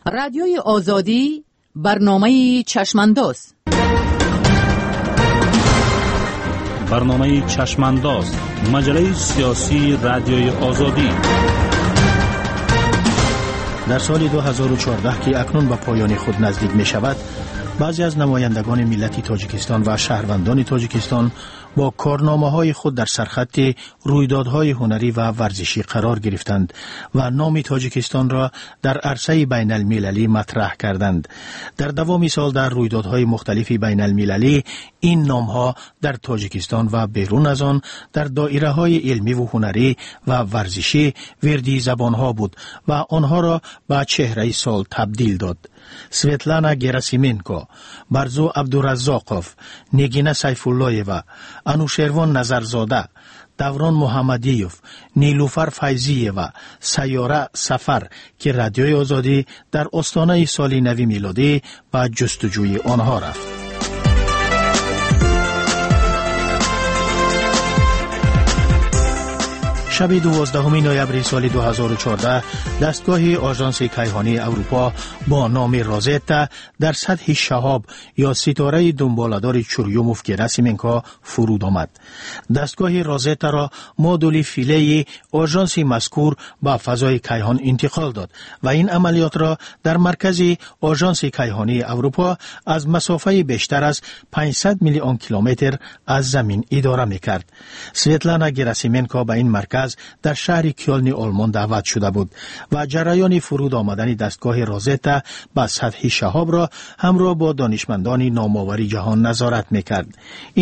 Радиои Озодӣ, барномаи Чашмандоз. Барномаи Чашмандоз, маҷаллаи сиёсии Радиои Озодӣ. Дар соли 2014, ки акнун ба поёни худ наздик мешавад, баъзе аз намояндагони миллати Тоҷикистон ва шаҳрвандони Тоҷикистон бо корномаҳои худ дар сархатти рӯйдодҳои ҳунарӣ ва варзишӣ қарор гирифтанд ва номи Тоҷикистонро дар арсаи байналмилалӣ матраҳ карданд. Дар давоми сол дар рӯйдодҳои мухталифи байналмилалӣ ин номҳо дар Тоҷикистон ва берун аз он дар доираҳои илмиву ҳунарӣ ва варзишӣ вирди забонҳо буд ва онҳоро ба чеҳраи сол табдил дод. Светлана Герасименко, Барзу Абдураззоқов, Нигина Сайфуллоева, Анушервон Назарзода, Даврон Муҳаммадиев, Нилуфар Файзиева, Сайёра Сафар, ки Радиои Озодӣ дар остонаи соли нави милодӣ ба ҷустуҷӯи онҳо рафт. Шаби 12 ноябри соли 2014 дастгоҳи Ожанси кайҳонии Аврупо бо номи Розетта дар сатҳи шаҳоб ё ситораи дунболадори Чурюмов Герасименко фуруд омад. Дастгоҳи Розеттаро модули Филеи ожанси мазкур ба фазои кайҳон интиқол дод ва ин амалиётро дар маркази Ожанси кайҳонии Аврупо аз масофаи бештар аз 500 миллион километр аз замин идора мекард. Светлана Герасименко ба ин марказ дар шаҳри Кёлни Олмон даъват шуда буд ва ҷараёни фуруд омадани дастгоҳи Розетта ба сатҳи шаҳобро ҳамроҳ бо донишмандони номовари ҷаҳон назорат мекард.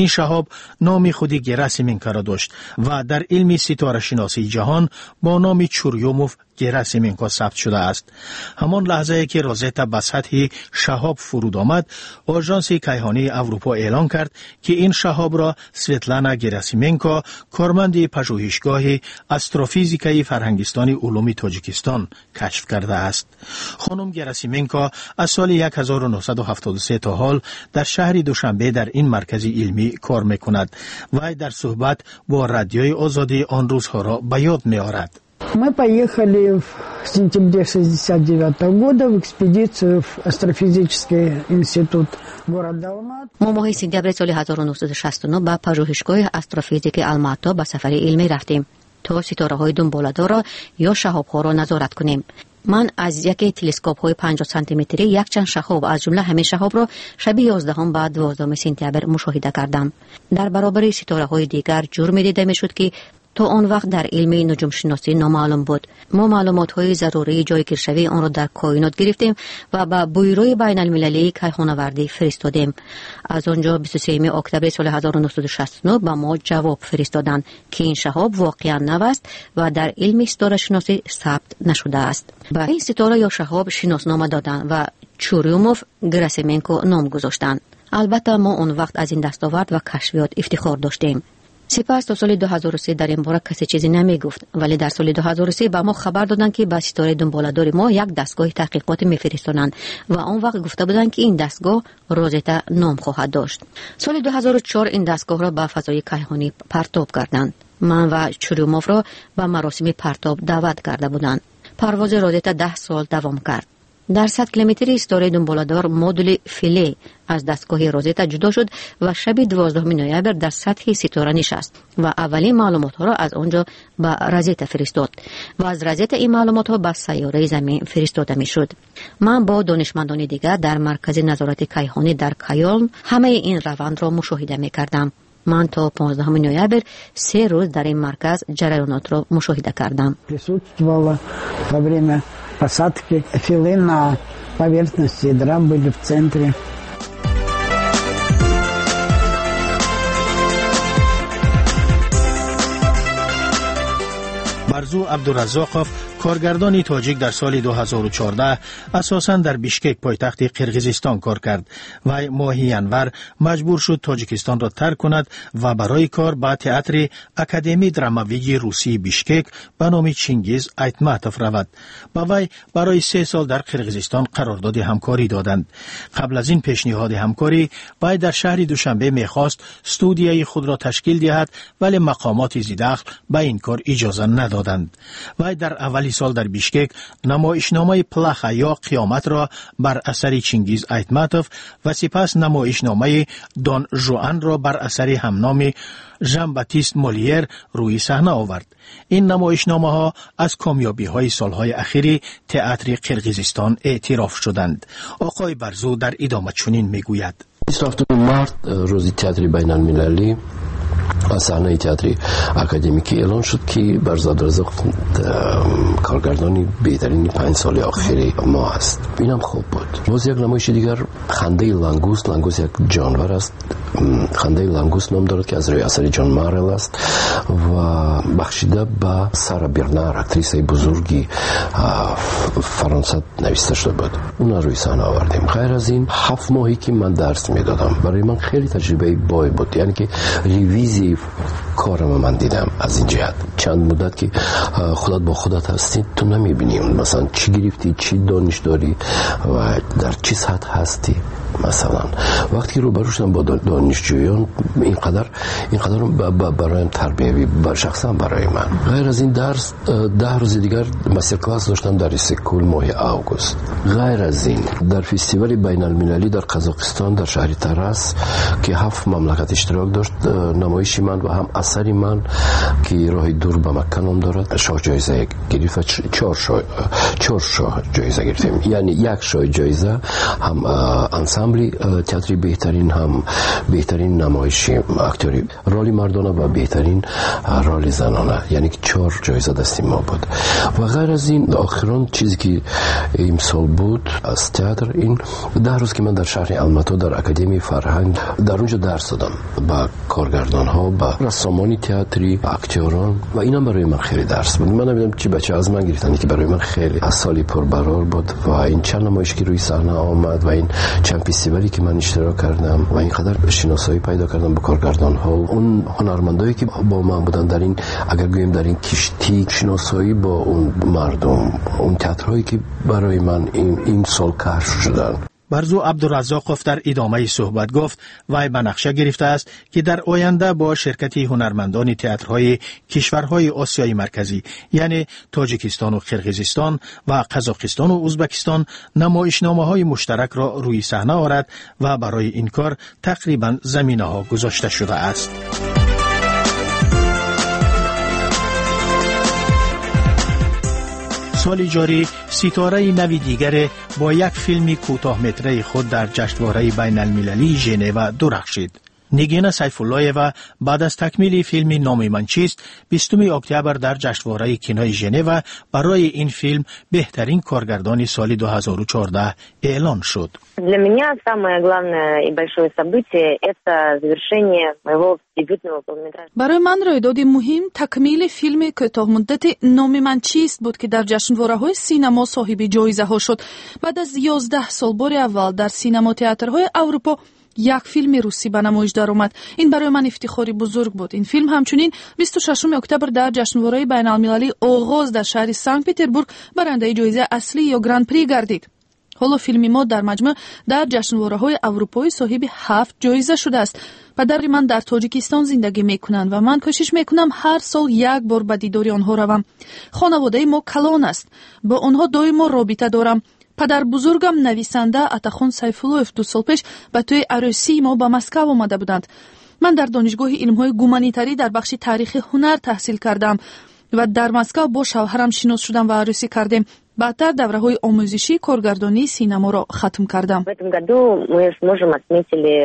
Ин шаҳоб номи худи Герасименкоро дошт ва дар илми ситорашиносии ҷаҳон бо номи Чурюмов Герасименко сабт шудааст. Ҳамон лаҳзае ки Розетта ба сатҳи шаҳоб фуруд омад, Ожанси кайҳонии Аврупо эълон кард, ки ин шаҳобро Светлана Герасименко, корманди пажӯҳишгоҳи астрофизикаи Фарҳангистони улуми Тоҷикистон, кашф кардааст. Хонум Герасименко аз соли 1973 то ҳол дар шаҳри Душанбе дар ин маркази илмӣ кор мекунад. Вай дар суҳбат бо Радиои Озодӣ он рӯзҳоро ба ёд меорад. Мы поехали в сентябре 69 года в экспедицию в Астрофизический институт города Алматы. Мо моҳи сентябри соли 1969 ба пажӯҳишгоҳи астрофизики Алмато ба сафари илмӣ рафтем, то ситораҳои дунболадорро ё шаҳобҳоро назорат кунем. Ман аз яке телескопҳои 50 сантиметрӣ якчанд шаҳоб, аз ҷумла ҳамин шаҳобро шаби 11 ба 12 сентябр мушоҳида кардам. Дар баробари ситораҳои дигар ҷурме дида мешуд, ки то он вақт дар илми нуҷумшиносӣ номаълум буд. Мо маълумотҳои зарурии ҷойгиршавии онро дар коинот гирифтем ва ба Бюрои байналмилалии кайҳонавардӣ фиристодем. Аз он ҷо 23 октябри соли 1969 ба мо ҷавоб фиристоданд, ки ин шаҳоб воқеан нав аст ва дар илми ситорашиносӣ сабт нашудааст. Ба ин ситора ё шаҳоб шиноснома доданд ва Чурюмов Герасименко ном гузоштанд. Албатта, мо он вақт аз ин дастовард ва кашфиёт ифтихор доштем. Сипас то соли 2003 дар ин бора касе чизе намегуфт, вале дар соли 2003 ба мо хабар доданд, ки ба ситораи дунболадори мо як дастгоҳи таҳқиқотӣ мефиристонанд ва он вақт гуфта буданд, ки ин дастгоҳ Розета ном хоҳад дошт. Соли 2004 ин дастгоҳро ба фазои кайҳонӣ партоб карданд. Ман ва Чурюмовро ба маросими партоб даъват карда буданд. Парвози Розета 10 сол давом кард. Дар 100 километри ситораи дунболадор модули Филе аз дастгоҳи Розета ҷудо шуд ва шаби 12 ноябр дар сатҳи ситора нишаст ва аввалин маълумотҳоро аз он ҷо ба Розета фиристод ва аз Розета ин маълумотҳо ба сайёраи Замин фиристода мешуд. Ман бо донишмандони дигар дар маркази назорати кайҳонӣ дар Кайолн ҳамаи ин равандро мушоҳида мекардам. Ман то 15 ноябр 3 рӯз дар ин марказ ҷараёнотро мушоҳида кардам. Присутствовала во время посадки Филы на поверхности ядра, были в центре. Барзу Абдураззоқов, коргардони тоҷик, дар соли 2014 асосан дар Бишкек, пойтахти Қирғизистон, кор кард. Вай моҳи январ маҷбур шуд Тоҷикистонро тарк кунад ва барои кор ба Театри Академии драмавии русии Бишкек ба номи Чингиз Айтматов равад. Ба вай барои 3 сол дар Қирғизистон қарордоди ҳамкорӣ доданд. Қабл аз ин пешниҳоди ҳамкорӣ вай дар шаҳри Душанбе мехост студияи худро ташкил диҳад, вале мақомоти зидахл ба ин кор иҷоза надоданд. Вай дар аввали сол дар Бишкек намоишномаи Плаха ё Қиёматро бар асари Чингиз Айтматов ва сипас намоишномаи Дон Жуанро бар асари ҳамноми Жан-Батист Молиер рӯи саҳна овард. Ин намоишномаҳо аз комёбиҳои солҳои ахири театри Қирғизистон эътироф шуданд. Оқои Барзу дар идома чунин мегӯяд: 27 март, рӯзи театри байналмилалӣ, аз саҳнаи театри академикӣ эълон шуд, ки Барзу Абдуразоқов коргардони беҳтарини 5 соли охири мо аст. Инам хуб буд. Боз як намоиши дигар, Хандаи лангуст. Лангуст як ҷонвар аст. Хандаи лангуст ном дорад, ки аз рӯи асари Ҷон Марел аст ва бахшида ба Сара Бернар, актрисаи бузурги Фаронса, нависта шуда буд. Уна рӯи саҳна овардем. Ғайр аз ин, 7 моҳе ки ман дарс медодам, барои ман хеле таҷрибаи бой буд, яъне ки ревизияи корама ман дидам. Аз ин ҷиҳат, чанд муддат ки худат бо худат ҳастӣ, ту намебинӣ, масалан, чӣ гирифтӣ, чӣ дониш дорӣ ва дар чӣ сатҳ ҳастӣ. Масалан, вақте ки рӯбарӯ шудам бо донишҷӯён, инқадар бароям тарбиявӣ, шахсан барои ман. Ғайр аз ин дарс, 10 рӯзи дигар мастер-класс доштам дар Иссиқкӯл моҳи август. Ғайр аз ин, дар фестивали байналмилалӣ дар Қазоқистон, дар шаҳри Тарас, ки 7 мамлакат иштирок дошт, намоиши ман ва ҳам асари ман, ки Роҳи дур ба Макка ном дорад, шоҳ ҷоиза гирифт ва чор шоҳ ҷоиза гирифтем, яъне як шоҳ ҷоиза ҳам ансамбли театри беҳтарин, ҳам беҳтарин намоиши актёри роли мардона ва беҳтарин роли занона, яъне ки 4 ҷоиза дасти мо буд. Ва ғайр аз ин, охирон чизе ки имсол буд аз театр, ин 10 рӯз ки ман дар шаҳри Алмато дар Академияи фарҳанг дар онҷо дарс додам ба коргардонҳо, ба рассомони театрӣ, актёрон, ва инам барои ман хеле дарс буд. Ман намедонам чӣ бача аз ман гирифтанд, ки барои ман хеле аз соли пурбарор буд ва ин чанд намоиш ки рӯи саҳна омад ва ин чанд фестивале ки ман иштирок кардам ва инқадар шиносоӣ пайдо кардам бо коргардонҳо, он ҳунармандое ки бо ман буданд дар ин, агар гӯем, дар ин киштӣ, шиносоӣ бо он мардум, он театрҳое ки барои ман ин сол кашф шуданд. Барзу Абдуразоқов дар идомаи суҳбат гуфт, вай ба нақша гирифтааст, ки дар оянда бо ширкати ҳунармандони театрҳои кишварҳои Осиёи Марказӣ, яъне Тоҷикистону Қирғизистон ва Қазоқистону Узбекистон, намоишномаҳои муштаракро рӯи саҳна орад ва барои ин кор тақрибан заминаҳо гузошта шудааст. Соли ҷорӣ ситораи нави дигаре бо як филми кӯтоҳметраи худ дар ҷашнвораи байналмилалии Женева дурахшид. Нигина Сайфуллоева баъд аз такмили филми Номи ман чист 20 октябр дар ҷашнвораи кинои Женева барои ин филм беҳтарин коргардони соли 2014 эълон шуд. Для меня самое главное и большое событие — это завершение моего дебютного полнометражного. Барои ман рӯйдоди муҳим такмили филми кӯтоҳмуддати Номи ман чист буд, ки дар ҷашнвораҳои синамо соҳиби ҷоизаҳо шуд. Баъд аз 11 сол бори аввал дар синамотеатрҳои Аврупо як филми русӣ ба намоиш даромад. Ин барои ман ифтихори бузург буд. Ин филм ҳамчунин 26 октябр дар ҷашнвораи байналмилалии Оғоз дар шаҳри Санкт Петербург барандаи ҷоизаи аслӣ ё Гран-при гардид. Ҳоло филми мо дар маҷмӯъ дар ҷашнвораҳои аврупоӣ соҳиби 7 ҷоиза шудааст. Падари ман дар Тоҷикистон зиндагӣ мекунанд ва ман кӯшиш мекунам ҳар сол як бор ба дидори онҳо равам. Хонаводаи мо калон аст. Бо онҳо доимо робита дорам. Падарбузургам нависанда Атахон Сайфуллоев 2 сол пеш ба тӯи арӯсии мо ба Москав омада буданд. Ман дар Донишгоҳи илмҳои гуманитарӣ дар бахши таърихи ҳунар таҳсил кардам ва дар Москав бо шавҳарам шинос шудам ва арӯсӣ кардем. Баъдтар давраҳои омӯзишии коргардонии синаморо хатм кардам. В этом году мы с мужем отметили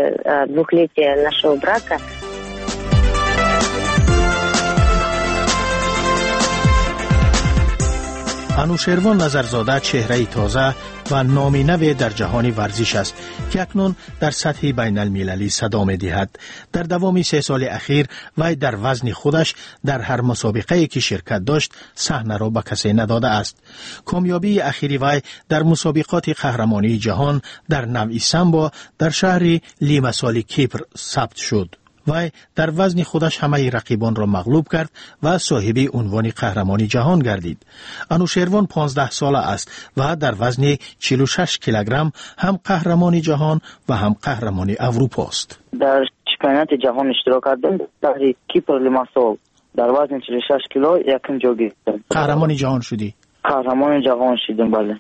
двухлетие нашего брака. Анушервон Назарзода чеҳраи тоза ва номи наве дар ҷаҳони варзиш аст, ки акнун дар сатҳи байналмилалӣ садо медиҳад. Дар давоми 3 соли ахир вай дар вазни худаш дар ҳар мусобиқае ки ширкат дошт, саҳнаро ба касе надодааст. Комёбии ахири вай дар мусобиқоти қаҳрамонии ҷаҳон дар навъи самбо дар шаҳри Лимасоли Кипр сабт шуд. Вай дар вазни худаш ҳамаи рақибонро мағлуб кард ва соҳиби унвони қаҳрамони ҷаҳон гардид. Анушервон 15 сола аст ва дар вазни 46 килограмм ҳам қаҳрамони ҷаҳон ва ҳам қаҳрамони Аврупост. Дар чемпионати ҷаҳон иштирок кардам, шаҳри Кипр, Лимасол, дар вазни 46 кило якум ҷо гирифтам. Қаҳрамони ҷаҳон шудӣ? Қаҳрамони ҷаҳон шудам, бале.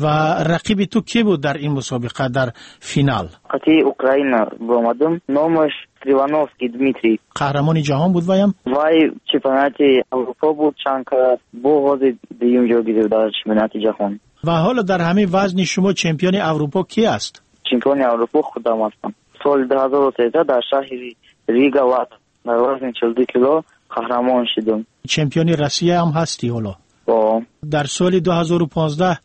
Ва рақиби ту кӣ буд дар ин мусобиқа дар финал? Қати Украина баромадам. Номаш Кривановский Дмитрий. Қаҳрамони ҷаҳон буд ваям? Вай чемпионати Аврупо буд чанд карат. Бо ҳозир дуюм ҷо гирифт дар чемпионати ҷаҳон. Ва ҳоло дар ҳамин вазни шумо чемпиони Аврупо кӣ аст? Чемпиони Аврупо худам ҳастам. Соли 2013 дар шаҳри Рига, Латвия, дар вазни 42 кило қаҳрамон шудам. Чемпиони Россия ҳам ҳастӣ ҳоло? О. Дар соли 2015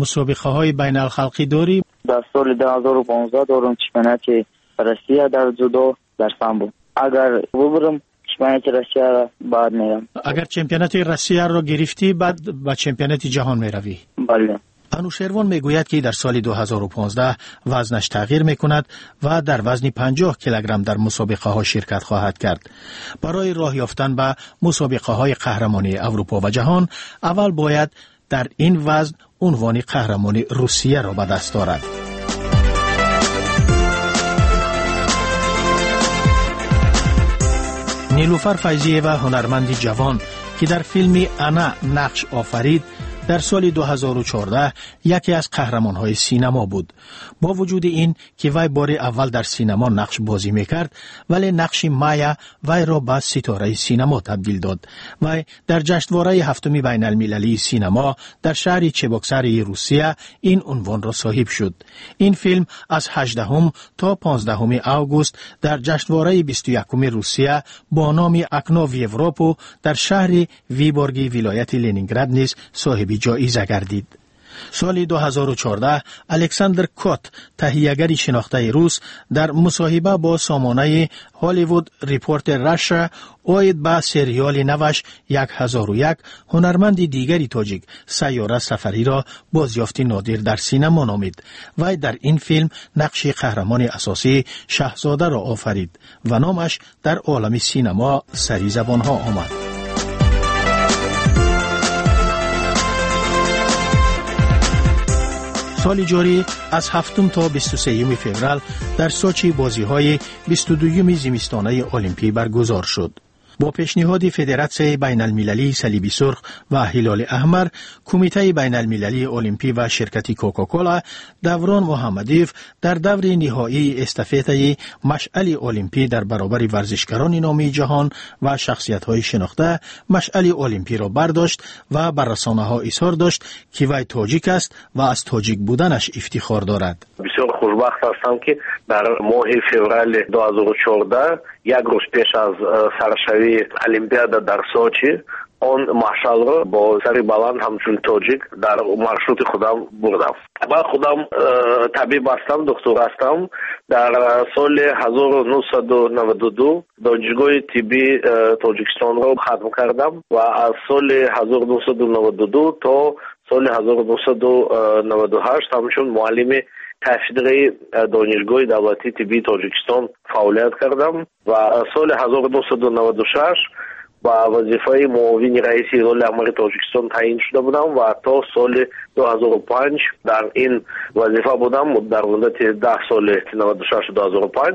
мусобиқаҳои байналхалқӣ дорӣ? Дар соли 2015 дорам чемпионати Россия дар ҷудо, дар самбо. Агар бубарам чемпионати Россияро, баъд мерам. Агар чемпионати Россияро гирифтӣ, баъд ба чемпионати ҷаҳон меравӣ? Бале. Анушервон мегӯяд, ки дар соли 2015 вазнаш тағйир мекунад ва дар вазни 50 килограмм дар мусобиқаҳо ширкат хоҳад кард. Барои роҳ ёфтан ба мусобиқаҳои қаҳрамонии Аврупо ва ҷаҳон аввал бояд дар ин вазн унвони қаҳрамони Русияро ба даст орад. Нилуфар Файзиева, ҳунарманди ҷавон, ки дар филми «Ана» нақш офарид, дар соли 2014 яке аз қаҳрамонҳои синамо буд. Бо вуҷуди ин ки вай бори аввал дар синамо нақш бозӣ мекард, вале нақши Майя вайро ба ситораи синамо табдил дод. Вай дар ҷашнвораи ҳафтуми байналмилалии синамо дар шаҳри Чебоксарии Русия ин унвонро соҳиб шуд. Ин филм аз 18 то 15 август дар ҷашнвораи 21 Русия бо номи «Окно в Европу» дар шаҳри Виборги вилояти Ленинград низ соҳиби ҷоиза гардид. Соли 2014 Александр Кот, таҳиягари шинохтаи рус, дар мусоҳиба бо сомонаи Hollywood Reporter Russia оид ба сериали наваш 1001 ҳунарманди дигари тоҷик Сайёра Сафариро бозёфти нодир дар синамо номид. Вай дар ин филм нақши қаҳрамони асосӣ Шаҳзодаро офарид ва номаш дар олами синамо сари забонҳо омад. Соли ҷорӣ аз 7 то 23 феврал дар Сочи бозиҳои 22 зимистонаи Олимпӣ баргузор шуд. Бо пешниҳоди Федератсияи байналмилалии Салиби Сурх ва Ҳилоли Аҳмар, Кумитаи байналмилалии Олимпӣ ва ширкати Кока-Кола, Даврон Муҳаммадиев дар даври ниҳоии эстафетаи машъали Олимпӣ дар баробари варзишгарони номии ҷаҳон ва шахсиятҳои шинохта машъали Олимпиро бардошт ва ба расонаҳо изҳор дошт, ки вай тоҷик аст ва аз тоҷик буданаш ифтихор дорад. Бисёр хушбахт ҳастам, ки дар моҳи феврали 2014, як рӯз пеш аз саршавии Олимпиада дар Сочи, он машъалро бо сари баланд ҳамчун тоҷик дар маршрути худам бурдам. Ман худам табиб ҳастам, духтур ҳастам. Дар соли 1992 Донишгоҳи тиббии Тоҷикистонро хатм кардам ва аз соли 1992 то соли 1998 ҳамчун муаллими кафедраи Донишгоҳи давлатии тиббии Тоҷикистон фаъолият кардам ва соли 1996 ба вазифаи муовини раиси Ҳилоли Аҳмари Тоҷикистон таъин шуда будам ва то соли 2005 дар ин вазифа будам, дар муддати 10 соли 96 2005.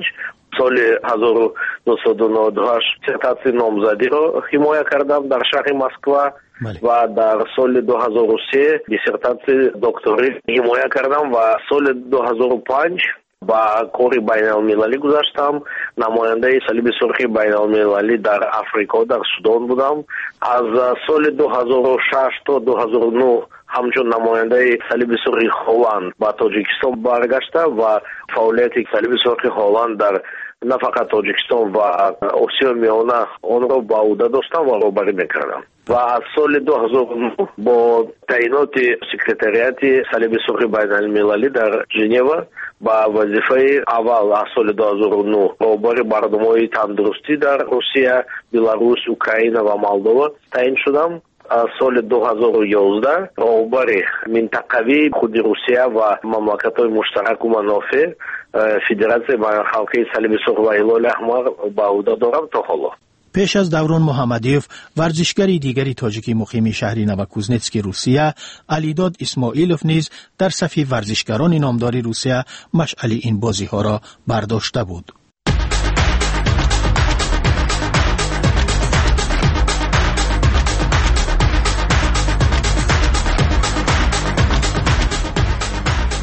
Соли 1998 диссертатсияи номзадиро ҳимоя кардам дар шаҳри Москва ва дар соли 2003 диссертатсияи докторӣ ҳимоя кардам ва соли 2005 ба кори байналмилалӣ гузаштам. Намояндаи Салиби Сурхи байналмилалӣ дар Африко, дар Судон будам. Аз соли 2006 то 2009 ҳамчун намояндаи Салиби Сурхи Холланд ба Тоҷикистон баргашта ва фаъолияти Салиби Сурхи Холланд дар на фақат Тоҷикистон ва Осиёи Миёна онро ба ӯҳда доштам ва роҳбарӣ мекардам. Ва аз соли 2009 бо таъиноти секретариати Салиби Сурхи байналмилалӣ дар Женева ба вазифаи аввал аз соли 2009 роҳбари барномаҳои тандурустӣ дар Русия, Беларус, Украина ва Молдова таъин шудам. Аз соли 2011 роҳбари минтақавии худи Русия ва мамлакатҳои муштараку манофеъ Федератсияи байналхалқии Салиби Сурх ва Ҳилоли Аҳмар ба ӯҳда дорам то ҳоло. Пеш аз Даврон Муҳаммадиев, варзишгари дигари тоҷики муқими шаҳри Новокузнецки Русия, Алидод Исмоилов низ дар сафи варзишгарони номдори Русия машъали ин бозиҳоро бардошта буд.